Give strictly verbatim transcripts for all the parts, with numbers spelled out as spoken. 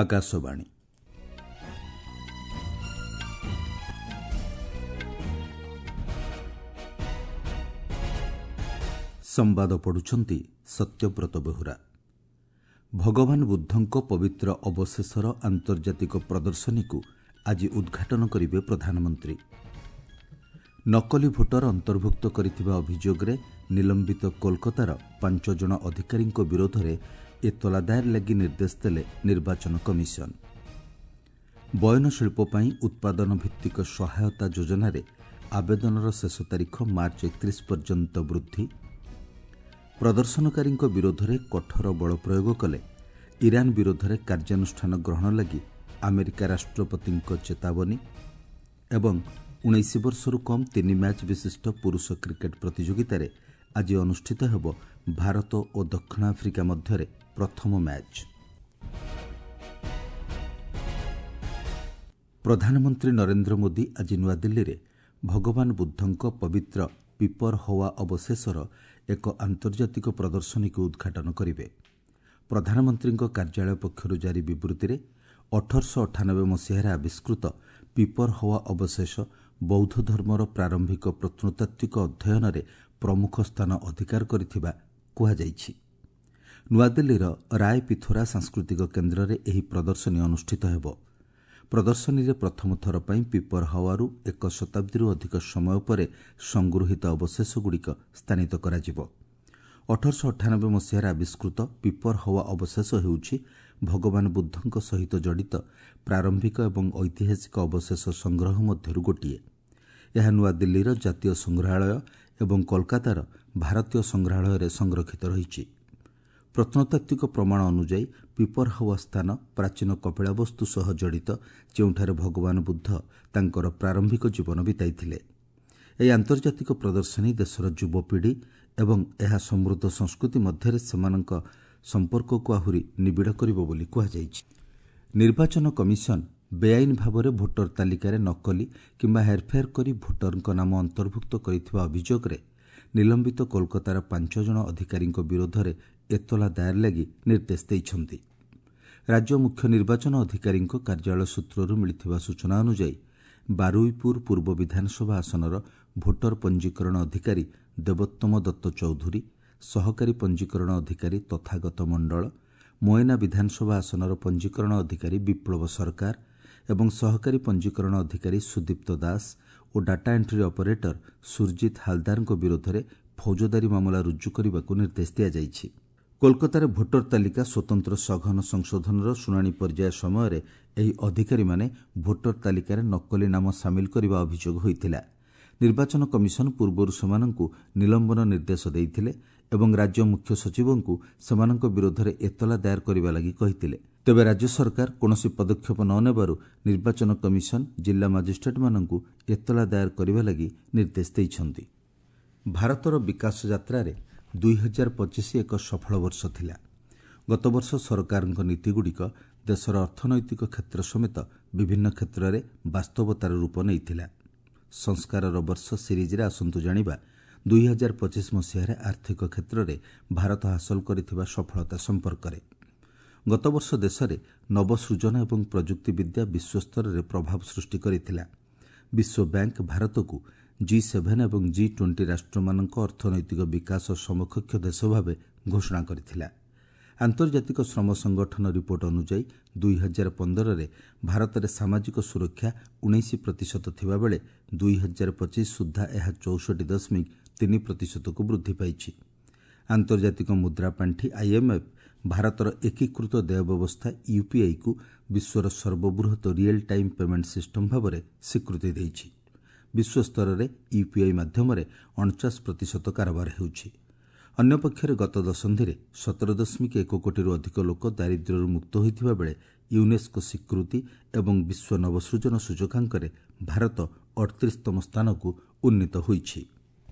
ଆକାଶବାଣୀ। ସମ୍ବାଦ ପଢ଼ୁଛନ୍ତି ସତ୍ୟବ୍ରତ ବେହୁରା। ଭଗବାନ ବୁଦ୍ଧଙ୍କ ପବିତ୍ର ଅବଶେଷର ଆନ୍ତର୍ଜାତିକ ପ୍ରଦର୍ଶନୀକୁ ଆଜି ଉଦ୍ଘାଟନ କରିବେ ପ୍ରଧାନମନ୍ତ୍ରୀ। ନକଲି ଭୋଟର ଅନ୍ତର୍ଭୁକ୍ତ କରିଥିବା ଅଭିଯୋଗରେ ନିଲମ୍ବିତ କୋଲକାତାର ପାଞ୍ଚ ଜଣ ଅଧିକାରୀଙ୍କ ବିରୋଧରେ ଏତଲା ଦାଏର ଲାଗି ନିର୍ଦ୍ଦେଶ ଦେଲେ ନିର୍ବାଚନ କମିଶନ। ବୟନଶିଳ୍ପ ପାଇଁ ଉତ୍ପାଦନ ଭିତ୍ତିକ ସହାୟତା ଯୋଜନାରେ ଆବେଦନର ଶେଷ ତାରିଖ ମାର୍ଚ୍ଚ ଏକତିରିଶ ପର୍ଯ୍ୟନ୍ତ ବୃଦ୍ଧି। ପ୍ରଦର୍ଶନକାରୀଙ୍କ ବିରୋଧରେ କଠୋର ବଳ ପ୍ରୟୋଗ କଲେ ଇରାନ ବିରୋଧରେ କାର୍ଯ୍ୟାନୁଷ୍ଠାନ ଗ୍ରହଣ ଲାଗି ଆମେରିକା ରାଷ୍ଟ୍ରପତିଙ୍କ ଚେତାବନୀ। ଏବଂ ଉଣେଇଶ ବର୍ଷରୁ କମ୍ ତିନି ମ୍ୟାଚ୍ ବିଶିଷ୍ଟ ପୁରୁଷ କ୍ରିକେଟ୍ ପ୍ରତିଯୋଗିତାରେ ଆଜି ଅନୁଷ୍ଠିତ ହେବ ଭାରତ ଓ ଦକ୍ଷିଣ ଆଫ୍ରିକା ମଧ୍ୟରେ ପ୍ରଥମ ମ୍ୟାଚ୍। ପ୍ରଧାନମନ୍ତ୍ରୀ ନରେନ୍ଦ୍ର ମୋଦି ଆଜି ନୂଆଦିଲ୍ଲୀରେ ଭଗବାନ ବୁଦ୍ଧଙ୍କ ପବିତ୍ର ପିପରହୱା ଅବଶେଷର ଏକ ଆନ୍ତର୍ଜାତିକ ପ୍ରଦର୍ଶନୀକୁ ଉଦ୍ଘାଟନ କରିବେ। ପ୍ରଧାନମନ୍ତ୍ରୀଙ୍କ କାର୍ଯ୍ୟାଳୟ ପକ୍ଷରୁ ଜାରି ବିବୃତ୍ତିରେ ଅଠରଶହ ଅଠାନବେ ମସିହାରେ ଆବିଷ୍କୃତ ପିପରହୱା ଅବଶେଷ ବୌଦ୍ଧ ଧର୍ମର ପ୍ରାରମ୍ଭିକ ପ୍ରତ୍ନତାତ୍ତ୍ୱିକ ଅଧ୍ୟୟନରେ ପ୍ରମୁଖ ସ୍ଥାନ ଅଧିକାର କରିଥିବା କୁହାଯାଇଛି। ନୂଆଦିଲ୍ଲୀର ରାୟ ପିଥୋରା ସାଂସ୍କୃତିକ କେନ୍ଦ୍ରରେ ଏହି ପ୍ରଦର୍ଶନୀ ଅନୁଷ୍ଠିତ ହେବ। ପ୍ରଦର୍ଶନୀରେ ପ୍ରଥମ ଥର ପାଇଁ ପିପରହୱାରୁ ଏକ ଶତାବ୍ଦୀରୁ ଅଧିକ ସମୟ ପରେ ସଂଗୃହୀତ ଅବଶେଷଗୁଡ଼ିକ ସ୍ଥାନିତ କରାଯିବ। ଅଠରଶହ ଅଠାନବେ ମସିହାରେ ଆବିଷ୍କୃତ ପିପରହୱା ଅବଶେଷ ହେଉଛି ଭଗବାନ ବୁଦ୍ଧଙ୍କ ସହିତ ଜଡ଼ିତ ପ୍ରାରମ୍ଭିକ ଏବଂ ଐତିହାସିକ ଅବଶେଷ ସଂଗ୍ରହ ମଧ୍ୟରୁ ଗୋଟିଏ। ଏହା ନୂଆଦିଲ୍ଲୀର ଜାତୀୟ ସଂଗ୍ରହାଳୟ ଏବଂ କୋଲକାତାର ଭାରତୀୟ ସଂଗ୍ରହାଳୟରେ ସଂରକ୍ଷିତ ରହିଛି। ପ୍ରତ୍ନତାତ୍ତ୍ୱିକ ପ୍ରମାଣ ଅନୁଯାୟୀ ପିପରହୱା ସ୍ଥାନ ପ୍ରାଚୀନ କପିଳାବସ୍ତୁ ସହ ଜଡ଼ିତ, ଯେଉଁଠାରେ ଭଗବାନ ବୁଦ୍ଧ ତାଙ୍କର ପ୍ରାରମ୍ଭିକ ଜୀବନ ବିତାଇଥିଲେ। ଏହି ଆନ୍ତର୍ଜାତିକ ପ୍ରଦର୍ଶନୀ ଦେଶର ଯୁବପିଢ଼ି ଏବଂ ଏହା ସମୃଦ୍ଧ ସଂସ୍କୃତି ମଧ୍ୟରେ ସେମାନଙ୍କ ସମ୍ପର୍କକୁ ଆହୁରି ନିବିଡ଼ କରିବ ବୋଲି କୁହାଯାଇଛି। ନିର୍ବାଚନ କମିଶନ ବେଆଇନ ଭାବରେ ଭୋଟର ତାଲିକାରେ ନକଲି କିମ୍ବା ହେରଫେର କରି ଭୋଟରଙ୍କ ନାମ ଅନ୍ତର୍ଭୁକ୍ତ କରିଥିବା ଅଭିଯୋଗରେ ନିଲମ୍ବିତ କୋଲକାତାର ପାଞ୍ଚ ଜଣ ଅଧିକାରୀଙ୍କ ବିରୋଧରେ ଏତଲା ଦାଏର ଲାଗି ନିର୍ଦ୍ଦେଶ ଦେଇଛନ୍ତି। ରାଜ୍ୟ ମୁଖ୍ୟ ନିର୍ବାଚନ ଅଧିକାରୀଙ୍କ କାର୍ଯ୍ୟାଳୟ ସୂତ୍ରରୁ ମିଳିଥିବା ସୂଚନା ଅନୁଯାୟୀ ବାରୁଇପୁର ପୂର୍ବ ବିଧାନସଭା ଆସନର ଭୋଟର ପଞ୍ଜୀକରଣ ଅଧିକାରୀ ଦେବୋତ୍ତମ ଦତ୍ତ ଚୌଧୁରୀ, ସହକାରୀ ପଞ୍ଜୀକରଣ ଅଧିକାରୀ ତଥାଗତ ମଣ୍ଡଳ, ମୟନା ବିଧାନସଭା ଆସନର ପଞ୍ଜୀକରଣ ଅଧିକାରୀ ବିପ୍ଳବ ସରକାର ଏବଂ ସହକାରୀ ପଞ୍ଜୀକରଣ ଅଧିକାରୀ ସୁଦୀପ୍ତ ଦାସ ଓ ଡାଟା ଏଣ୍ଟ୍ରି ଅପରେଟର ସୁରଜିତ ହାଲଦାରଙ୍କ ବିରୋଧରେ ଫୌଜଦାରୀ ମାମଲା ରୁଜୁ କରିବାକୁ ନିର୍ଦ୍ଦେଶ ଦିଆଯାଇଛି। କୋଲକାତାରେ ଭୋଟର ତାଲିକା ସ୍ୱତନ୍ତ୍ର ସଘନ ସଂଶୋଧନର ଶୁଣାଣି ପର୍ଯ୍ୟାୟ ସମୟରେ ଏହି ଅଧିକାରୀମାନେ ଭୋଟର ତାଲିକାରେ ନକଲି ନାମ ସାମିଲ କରିବା ଅଭିଯୋଗ ହୋଇଥିଲା। ନିର୍ବାଚନ କମିଶନ ପୂର୍ବରୁ ସେମାନଙ୍କୁ ନିଲମ୍ବନ ନିର୍ଦ୍ଦେଶ ଦେଇଥିଲେ ଏବଂ ରାଜ୍ୟ ମୁଖ୍ୟ ସଚିବଙ୍କୁ ସେମାନଙ୍କ ବିରୋଧରେ ଏତଲା ଦାଏର କରିବା ଲାଗି କହିଥିଲେ। ତେବେ ରାଜ୍ୟ ସରକାର କୌଣସି ପଦକ୍ଷେପ ନ ନେବାରୁ ନିର୍ବାଚନ କମିଶନ ଜିଲ୍ଲା ମାଜିଷ୍ଟ୍ରେଟ୍ମାନଙ୍କୁ ଏତଲା ଦାଏର କରିବା ଲାଗି ନିର୍ଦ୍ଦେଶ ଦେଇଛନ୍ତି। ଭାରତର ବିକାଶ ଯାତ୍ରାରେ ଦୁଇ ହଜାର ପଚିଶ ଏକ ସଫଳ ବର୍ଷ ଥିଲା। ଗତବର୍ଷ ସରକାରଙ୍କ ନୀତିଗୁଡ଼ିକ ଦେଶର ଅର୍ଥନୈତିକ କ୍ଷେତ୍ର ସମେତ ବିଭିନ୍ନ କ୍ଷେତ୍ରରେ ବାସ୍ତବତାର ରୂପ ନେଇଥିଲା। ସଂସ୍କାରର ବର୍ଷ ସିରିଜ୍ରେ ଆସନ୍ତୁ ଜାଣିବା ଦୁଇ ହଜାର ପଚିଶ ମସିହାରେ ଆର୍ଥିକ କ୍ଷେତ୍ରରେ ଭାରତ ହାସଲ କରିଥିବା ସଫଳତା ସମ୍ପର୍କରେ। ଗତବର୍ଷ ଦେଶରେ ନବସୃଜନ ଏବଂ ପ୍ରଯୁକ୍ତିବିଦ୍ୟା ବିଶ୍ୱସ୍ତରରେ ପ୍ରଭାବ ସୃଷ୍ଟି କରିଥିଲା। ବିଶ୍ୱ ବ୍ୟାଙ୍କ ଭାରତକୁ ଜି ସେଭେନ୍ ଏବଂ ଜି ଟ୍ୱେଣ୍ଟି ରାଷ୍ଟ୍ରମାନଙ୍କ ଅର୍ଥନୈତିକ ବିକାଶ ସମକକ୍ଷ ଦେଶ ଭାବେ ଘୋଷଣା କରିଥିଲା। ଆନ୍ତର୍ଜାତିକ ଶ୍ରମ ସଂଗଠନ ରିପୋର୍ଟ ଅନୁଯାୟୀ ଦୁଇ ହଜାର ପନ୍ଦରରେ ଭାରତରେ ସାମାଜିକ ସୁରକ୍ଷା ଉଣେଇଶ ପ୍ରତିଶତ ଥିବାବେଳେ ଦୁଇ ହଜାର ପଚିଶ ସୁଦ୍ଧା ଏହା ଚଉଷଠି ଦଶମିକ ତିନି ପ୍ରତିଶତକୁ ବୃଦ୍ଧି ପାଇଛି। ଆନ୍ତର୍ଜାତିକ ମୁଦ୍ରା ପାଣ୍ଠି ଆଇଏମ୍ଏଫ୍ ଭାରତର ଏକୀକୃତ ଦେୟ ବ୍ୟବସ୍ଥା ୟୁପିଆଇକୁ ବିଶ୍ୱର ସର୍ବବୃହତ ରିଏଲ୍ ଟାଇମ୍ ପେମେଣ୍ଟ ସିଷ୍ଟମ୍ ଭାବରେ ସ୍ୱୀକୃତି ଦେଇଛି। ବିଶ୍ୱସ୍ତରରେ ୟୁପିଆଇ ମାଧ୍ୟମରେ ଅଣଚାଶ ପ୍ରତିଶତ କାରବାର ହେଉଛି। ଅନ୍ୟପକ୍ଷରେ ଗତ ଦଶନ୍ଧିରେ ସତର ଦଶମିକ ଏକ କୋଟିରୁ ଅଧିକ ଲୋକ ଦାରିଦ୍ର୍ୟରୁ ମୁକ୍ତ ହୋଇଥିବା ବେଳେ ୟୁନେସ୍କୋ ସ୍ୱୀକୃତି ଏବଂ ବିଶ୍ୱ ନବସୃଜନ ସୂଚକାଙ୍କରେ ଭାରତ ଅଠତିରିଶତମ ସ୍ଥାନକୁ ଉନ୍ନୀତ ହୋଇଛି।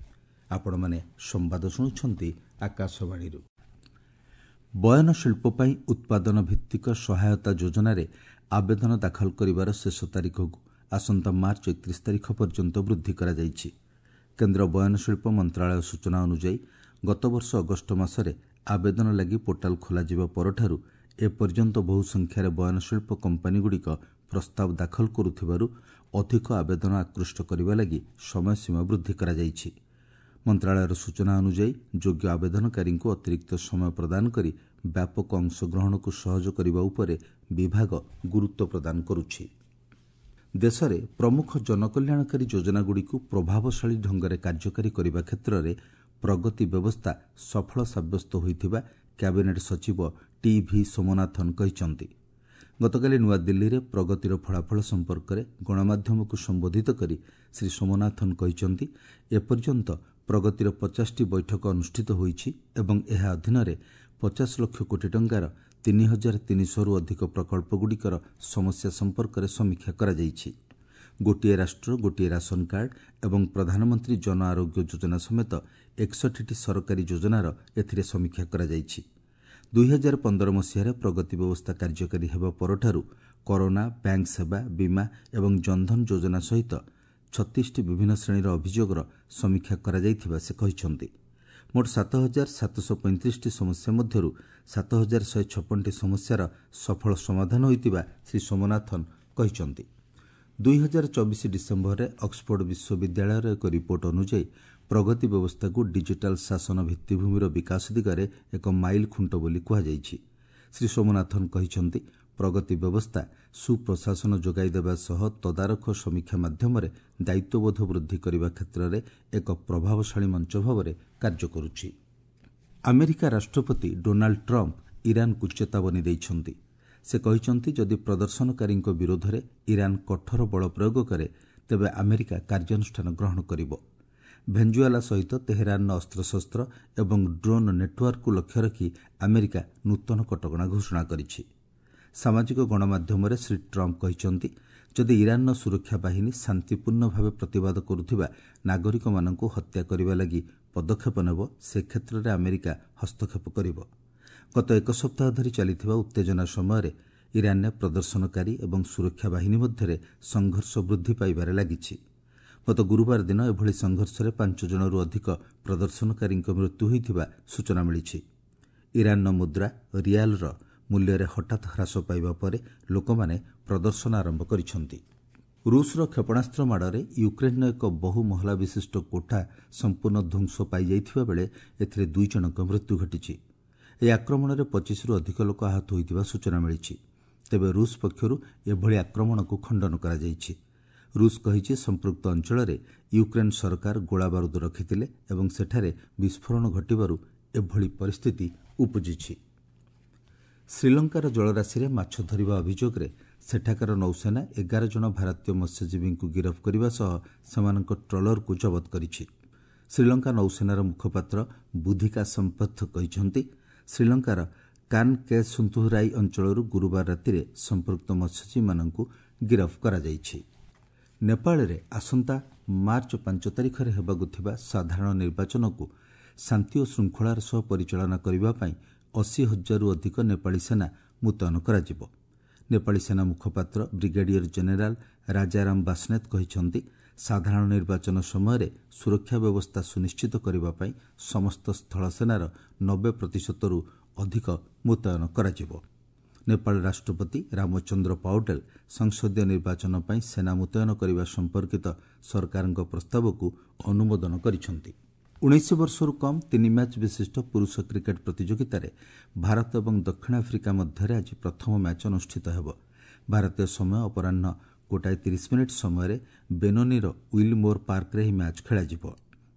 ଆପଣମାନେ ସମ୍ବାଦ ଶୁଣୁଛନ୍ତି ଆକାଶବାଣୀରୁ। ବୟନଶିଳ୍ପ ପାଇଁ ଉତ୍ପାଦନ ଭିତ୍ତିକ ସହାୟତା ଯୋଜନାରେ ଆବେଦନ ଦାଖଲ କରିବାର ଶେଷ ତାରିଖକୁ ଆସନ୍ତା ମାର୍ଚ୍ଚ ଏକତିରିଶ ତାରିଖ ପର୍ଯ୍ୟନ୍ତ ବୃଦ୍ଧି କରାଯାଇଛି। କେନ୍ଦ୍ର ବୟନଶିଳ୍ପ ମନ୍ତ୍ରଣାଳୟ ସୂଚନା ଅନୁଯାୟୀ ଗତବର୍ଷ ଅଗଷ୍ଟ ମାସରେ ଆବେଦନ ଲାଗି ପୋର୍ଟାଲ ଖୋଲାଯିବା ପରଠାରୁ ଏପର୍ଯ୍ୟନ୍ତ ବହୁ ସଂଖ୍ୟାରେ ବୟନଶିଳ୍ପ କମ୍ପାନୀଗୁଡ଼ିକ ପ୍ରସ୍ତାବ ଦାଖଲ କରୁଥିବାରୁ ଅଧିକ ଆବେଦନ ଆକୃଷ୍ଟ କରିବା ଲାଗି ସମୟସୀମା ବୃଦ୍ଧି କରାଯାଇଛି। ମନ୍ତ୍ରଣାଳୟର ସୂଚନା ଅନୁଯାୟୀ ଯୋଗ୍ୟ ଆବେଦନକାରୀଙ୍କୁ ଅତିରିକ୍ତ ସମୟ ପ୍ରଦାନ କରି ବ୍ୟାପକ ଅଂଶଗ୍ରହଣକୁ ସହଜ କରିବା ଉପରେ ବିଭାଗ ଗୁରୁତ୍ୱ ପ୍ରଦାନ କରୁଛି। ଦେଶରେ ପ୍ରମୁଖ ଜନକଲ୍ୟାଣକାରୀ ଯୋଜନାଗୁଡ଼ିକୁ ପ୍ରଭାବଶାଳୀ ଢଙ୍ଗରେ କାର୍ଯ୍ୟକାରୀ କରିବା କ୍ଷେତ୍ରରେ ପ୍ରଗତି ବ୍ୟବସ୍ଥା ସଫଳ ସାବ୍ୟସ୍ତ ହୋଇଥିବା କ୍ୟାବିନେଟ୍ ସଚିବ ଟି ଭି ସୋମନାଥନ୍ କହିଛନ୍ତି। ଗତକାଲି ନୂଆଦିଲ୍ଲୀରେ ପ୍ରଗତିର ଫଳାଫଳ ସମ୍ପର୍କରେ ଗଣମାଧ୍ୟମକୁ ସମ୍ବୋଧିତ କରି ଶ୍ରୀ ସୋମନାଥନ୍ କହିଛନ୍ତି, ଏପର୍ଯ୍ୟନ୍ତ ପ୍ରଗତିର ପଚାଶଟି ବୈଠକ ଅନୁଷ୍ଠିତ ହୋଇଛି ଏବଂ ଏହା ଅଧୀନରେ ପଚାଶ ଲକ୍ଷ କୋଟି ଟଙ୍କାର ତିନି ହଜାର ତିନିଶହରୁ ଅଧିକ ପ୍ରକଳ୍ପଗୁଡ଼ିକର ସମସ୍ୟା ସମ୍ପର୍କରେ ସମୀକ୍ଷା କରାଯାଇଛି। ଗୋଟିଏ ରାଷ୍ଟ୍ର ଗୋଟିଏ ରାସନ କାର୍ଡ ଏବଂ ପ୍ରଧାନମନ୍ତ୍ରୀ ଜନ ଆରୋଗ୍ୟ ଯୋଜନା ସମେତ ଏକଷଠିଟି ସରକାରୀ ଯୋଜନାର ଏଥିରେ ସମୀକ୍ଷା କରାଯାଇଛି। ଦୁଇହଜାର ପନ୍ଦର ମସିହାରେ ପ୍ରଗତି ବ୍ୟବସ୍ଥା କାର୍ଯ୍ୟକାରୀ ହେବା ପରଠାରୁ କରୋନା, ବ୍ୟାଙ୍କ ସେବା, ବୀମା ଏବଂ ଜନଧନ ଯୋଜନା ସହିତ ଛତିଶଟି ବିଭିନ୍ନ ଶ୍ରେଣୀର ଅଭିଯୋଗର ସମୀକ୍ଷା କରାଯାଇଥିବା ସେ କହିଛନ୍ତି। ମୋଟ ସାତ ହଜାର ସାତଶହ ପଇଁତିରିଶଟି ସମସ୍ୟା ମଧ୍ୟରୁ ସାତ ହଜାର ଶହେ ଛପନଟି ସମସ୍ୟାର ସଫଳ ସମାଧାନ ହୋଇଥିବା ଶ୍ରୀ ସୋମନାଥନ୍ କହିଛନ୍ତି। ଦୁଇହଜାର ଚବିଶ ଡିସେମ୍ବରରେ ଅକ୍ସଫୋର୍ଡ ବିଶ୍ୱବିଦ୍ୟାଳୟର ଏକ ରିପୋର୍ଟ ଅନୁଯାୟୀ ପ୍ରଗତି ବ୍ୟବସ୍ଥାକୁ ଡିଜିଟାଲ ଶାସନ ଭିତ୍ତିଭୂମିର ବିକାଶ ଦିଗରେ ଏକ ମାଇଲ ଖୁଣ୍ଟ ବୋଲି କୁହାଯାଇଛି। ଶ୍ରୀ ସୋମନାଥନ୍ କହିଛନ୍ତି, ପ୍ରଗତି ବ୍ୟବସ୍ଥା ସୁପ୍ରଶାସନ ଯୋଗାଇ ଦେବା ସହ ତଦାରଖ ସମୀକ୍ଷା ମାଧ୍ୟମରେ ଦାୟିତ୍ୱବୋଧ ବୃଦ୍ଧି କରିବା କ୍ଷେତ୍ରରେ ଏକ ପ୍ରଭାବଶାଳୀ ମଞ୍ଚ ଭାବରେ କାର୍ଯ୍ୟ କରୁଛି। ଆମେରିକା ରାଷ୍ଟ୍ରପତି ଡୋନାଲ୍ଡ ଟ୍ରମ୍ପ ଇରାନକୁ ଚେତାବନୀ ଦେଇଛନ୍ତି। ସେ କହିଛନ୍ତି, ଯଦି ପ୍ରଦର୍ଶନକାରୀଙ୍କ ବିରୋଧରେ ଇରାନ କଠୋର ବଳ ପ୍ରୟୋଗ କରେ ତେବେ ଆମେରିକା କାର୍ଯ୍ୟାନୁଷ୍ଠାନ ଗ୍ରହଣ କରିବ। ଭେଞ୍ଜୁଆଲା ସହିତ ତେହେରାନର ଅସ୍ତ୍ରଶସ୍ତ୍ର ଏବଂ ଡ୍ରୋନ୍ ନେଟୱାର୍କକୁ ଲକ୍ଷ୍ୟ ରଖି ଆମେରିକା ନୂତନ କଟକଣା ଘୋଷଣା କରିଛି। ସାମାଜିକ ଗଣମାଧ୍ୟମରେ ଶ୍ରୀ ଟ୍ରମ୍ପ କହିଛନ୍ତି, ଯଦି ଇରାନର ସୁରକ୍ଷା ବାହିନୀ ଶାନ୍ତିପୂର୍ଣ୍ଣ ଭାବେ ପ୍ରତିବାଦ କରୁଥିବା ନାଗରିକମାନଙ୍କୁ ହତ୍ୟା କରିବା ଲାଗି ପଦକ୍ଷେପ ନେବ, ସେ କ୍ଷେତ୍ରରେ ଆମେରିକା ହସ୍ତକ୍ଷେପ କରିବ। ଗତ ଏକ ସପ୍ତାହ ଧରି ଚାଲିଥିବା ଉତ୍ତେଜନା ସମୟରେ ଇରାନରେ ପ୍ରଦର୍ଶନକାରୀ ଏବଂ ସୁରକ୍ଷା ବାହିନୀ ମଧ୍ୟରେ ସଂଘର୍ଷ ବୃଦ୍ଧି ପାଇବାରେ ଲାଗିଛି। ଗତ ଗୁରୁବାର ଦିନ ଏଭଳି ସଂଘର୍ଷରେ ପାଞ୍ଚ ଜଣରୁ ଅଧିକ ପ୍ରଦର୍ଶନକାରୀଙ୍କ ମୃତ୍ୟୁ ହୋଇଥିବା ସୂଚନା ମିଳିଛି। ଇରାନର ମୁଦ୍ରା ରିଆଲର ମୂଲ୍ୟରେ ହଠାତ୍ ହ୍ରାସ ପାଇବା ପରେ ଲୋକମାନେ ପ୍ରଦର୍ଶନ ଆରମ୍ଭ କରିଛନ୍ତି। ରୁଷର କ୍ଷେପଣାସ୍ତ୍ର ମାଡ଼ରେ ୟୁକ୍ରେନ୍ର ଏକ ବହୁ ମହଲା ବିଶିଷ୍ଟ କୋଠା ସମ୍ପୂର୍ଣ୍ଣ ଧ୍ୱଂସ ପାଇଯାଇଥିବା ବେଳେ ଏଥିରେ ଦୁଇ ଜଣଙ୍କ ମୃତ୍ୟୁ ଘଟିଛି। ଏହି ଆକ୍ରମଣରେ ପଚିଶରୁ ଅଧିକ ଲୋକ ଆହତ ହୋଇଥିବା ସୂଚନା ମିଳିଛି। ତେବେ ରୁଷ ପକ୍ଷରୁ ଏଭଳି ଆକ୍ରମଣକୁ ଖଣ୍ଡନ କରାଯାଇଛି। ରୁଷ କହିଛି, ସମ୍ପୃକ୍ତ ଅଞ୍ଚଳରେ ୟୁକ୍ରେନ୍ ସରକାର ଗୋଳାବାରୁଦ ରଖିଥିଲେ ଏବଂ ସେଠାରେ ବିସ୍ଫୋରଣ ଘଟିବାରୁ ଏଭଳି ପରିସ୍ଥିତି ଉପୁଜିଛି। ଶ୍ରୀଲଙ୍କାର ଜଳରାଶିରେ ମାଛ ଧରିବା ଅଭିଯୋଗରେ ସେଠାକାର ନୌସେନା ଏଗାର ଜଣ ଭାରତୀୟ ମତ୍ସ୍ୟଜୀବୀଙ୍କୁ ଗିରଫ କରିବା ସହ ସେମାନଙ୍କ ଟ୍ରଲରକୁ ଜବତ କରିଛି। ଶ୍ରୀଲଙ୍କା ନୌସେନାର ମୁଖପାତ୍ର ବୁଦ୍ଧିକା ସମ୍ପଥ କହିଛନ୍ତି, ଶ୍ରୀଲଙ୍କାର କାନକେସୁନ୍ତୁରାଇ ଅଞ୍ଚଳରୁ ଗୁରୁବାର ରାତିରେ ସମ୍ପୃକ୍ତ ମତ୍ସ୍ୟଜୀବୀମାନଙ୍କୁ ଗିରଫ କରାଯାଇଛି। ନେପାଳରେ ଆସନ୍ତା ମାର୍ଚ୍ଚ ପାଞ୍ଚ ତାରିଖରେ ହେବାକୁ ଥିବା ସାଧାରଣ ନିର୍ବାଚନକୁ ଶାନ୍ତି ଓ ଶୃଙ୍ଖଳାର ସହ ପରିଚାଳନା କରିବା ପାଇଁ ଅଶୀ ହଜାରରୁ ଅଧିକ ନେପାଳୀ ସେନା ମୁତୟନ କରାଯିବ। ନେପାଳୀ ସେନା ମୁଖପାତ୍ର ବ୍ରିଗେଡିୟର ଜେନେରାଲ ରାଜାରାମ ବାସ୍ନେତ କହିଛନ୍ତି, ସାଧାରଣ ନିର୍ବାଚନ ସମୟରେ ସୁରକ୍ଷା ବ୍ୟବସ୍ଥା ସୁନିଶ୍ଚିତ କରିବା ପାଇଁ ସମସ୍ତ ସ୍ଥଳସେନାର ନବେ ପ୍ରତିଶତରୁ ଅଧିକ ମୁତୟନ କରାଯିବ। ନେପାଳ ରାଷ୍ଟ୍ରପତି ରାମଚନ୍ଦ୍ର ପାଉଡେଲ ସଂସଦୀୟ ନିର୍ବାଚନ ପାଇଁ ସେନା ମୁତୟନ କରିବା ସମ୍ପର୍କିତ ସରକାରଙ୍କ ପ୍ରସ୍ତାବକୁ ଅନୁମୋଦନ କରିଛନ୍ତି। ଉଣେଇଶ ବର୍ଷରୁ କମ୍ ତିନି ମ୍ୟାଚ୍ ବିଶିଷ୍ଟ ପୁରୁଷ କ୍ରିକେଟ୍ ପ୍ରତିଯୋଗିତାରେ ଭାରତ ଏବଂ ଦକ୍ଷିଣ ଆଫ୍ରିକା ମଧ୍ୟରେ ଆଜି ପ୍ରଥମ ମ୍ୟାଚ୍ ଅନୁଷ୍ଠିତ ହେବ। ଭାରତୀୟ ସମୟ ଅପରାହ୍ନ ଗୋଟାଏ ତିରିଶ ମିନିଟ୍ ସମୟରେ ବେନୋନିର ୱିଲମୋର ପାର୍କରେ ଏହି ମ୍ୟାଚ୍ ଖେଳାଯିବ।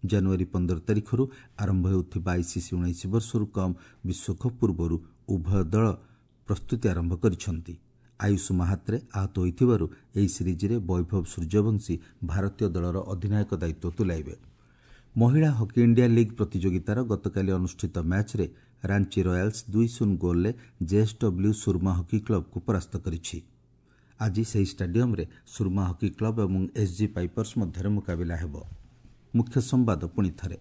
ଜାନୁଆରୀ ପନ୍ଦର ତାରିଖରୁ ଆରମ୍ଭ ହେଉଥିବା ଆଇସିସି ଉଣେଇଶ ବର୍ଷରୁ କମ୍ ବିଶ୍ୱକପ୍ ପୂର୍ବରୁ ଉଭୟ ଦଳ ପ୍ରସ୍ତୁତି ଆରମ୍ଭ କରିଛନ୍ତି। ଆୟୁଷ ମାହାତ୍ରେ ଆହତ ହୋଇଥିବାରୁ ଏହି ସିରିଜ୍ରେ ବୈଭବ ସୂର୍ଯ୍ୟବଂଶୀ ଭାରତୀୟ ଦଳର ଅଧିନାୟକ ଦାୟିତ୍ୱ ତୁଲାଇବେ। ମହିଳା ହକି ଇଣ୍ଡିଆ ଲିଗ୍ ପ୍ରତିଯୋଗିତାର ଗତକାଲି ଅନୁଷ୍ଠିତ ମ୍ୟାଚ୍ରେ ରାଞ୍ଚି ରୟାଲ୍ସ ଦୁଇ ଶୂନ ଗୋଲ୍ରେ ଜେଏସ୍ଡବ୍ଲ୍ୟୁ ସୁରମା ହକି କ୍ଲବ୍କୁ ପରାସ୍ତ କରିଛି। ଆଜି ସେହି ଷ୍ଟାଡିୟମ୍ରେ ସୁରମା ହକି କ୍ଲବ୍ ଏବଂ ଏସ୍ଜି ପାଇପର୍ସ ମଧ୍ୟରେ ମୁକାବିଲା ହେବ। ମୁଖ୍ୟ ସମ୍ବାଦ ପୁଣି ଥରେ,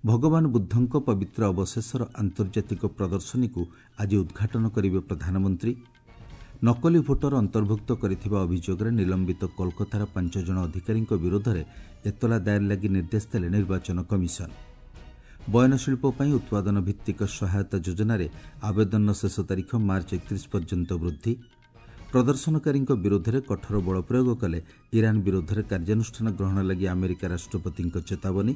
ଭଗବାନ ବୁଦ୍ଧଙ୍କ ପବିତ୍ର ଅବଶେଷର ଆନ୍ତର୍ଜାତିକ ପ୍ରଦର୍ଶନୀକୁ ଆଜି ଉଦ୍ଘାଟନ କରିବେ ପ୍ରଧାନମନ୍ତ୍ରୀ। ନକଲି ଭୋଟର ଅନ୍ତର୍ଭୁକ୍ତ କରିଥିବା ଅଭିଯୋଗରେ ନିଲମ୍ବିତ କୋଲକାତାର ପାଞ୍ଚ ଜଣ ଅଧିକାରୀଙ୍କ ବିରୋଧରେ ଏତଲା ଦାଏର ଲାଗି ନିର୍ଦ୍ଦେଶ ଦେଲେ ନିର୍ବାଚନ କମିଶନ। ବୟନଶିଳ୍ପ ପାଇଁ ଉତ୍ପାଦନ ଭିତ୍ତିକ ସହାୟତା ଯୋଜନାରେ ଆବେଦନର ଶେଷ ତାରିଖ ମାର୍ଚ୍ଚ ଏକତିରିଶ ପର୍ଯ୍ୟନ୍ତ ବୃଦ୍ଧି। ପ୍ରଦର୍ଶନକାରୀଙ୍କ ବିରୋଧରେ କଠୋର ବଳପ୍ରୟୋଗ କଲେ ଇରାନ ବିରୋଧରେ କାର୍ଯ୍ୟାନୁଷ୍ଠାନ ଗ୍ରହଣ ଲାଗି ଆମେରିକା ରାଷ୍ଟ୍ରପତିଙ୍କ ଚେତାବନୀ।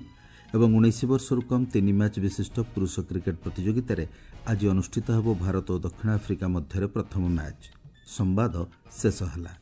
ଏବଂ ଉଣେଇଶ ବର୍ଷରୁ କମ୍ ତିନି ମ୍ୟାଚ୍ ବିଶିଷ୍ଟ ପୁରୁଷ କ୍ରିକେଟ୍ ପ୍ରତିଯୋଗିତାରେ ଆଜି ଅନୁଷ୍ଠିତ ହେବ ଭାରତ ଓ ଦକ୍ଷିଣ ଆଫ୍ରିକା ମଧ୍ୟରେ ପ୍ରଥମ ମ୍ୟାଚ୍। ସମ୍ବାଦ ଶେଷ ହେଲା।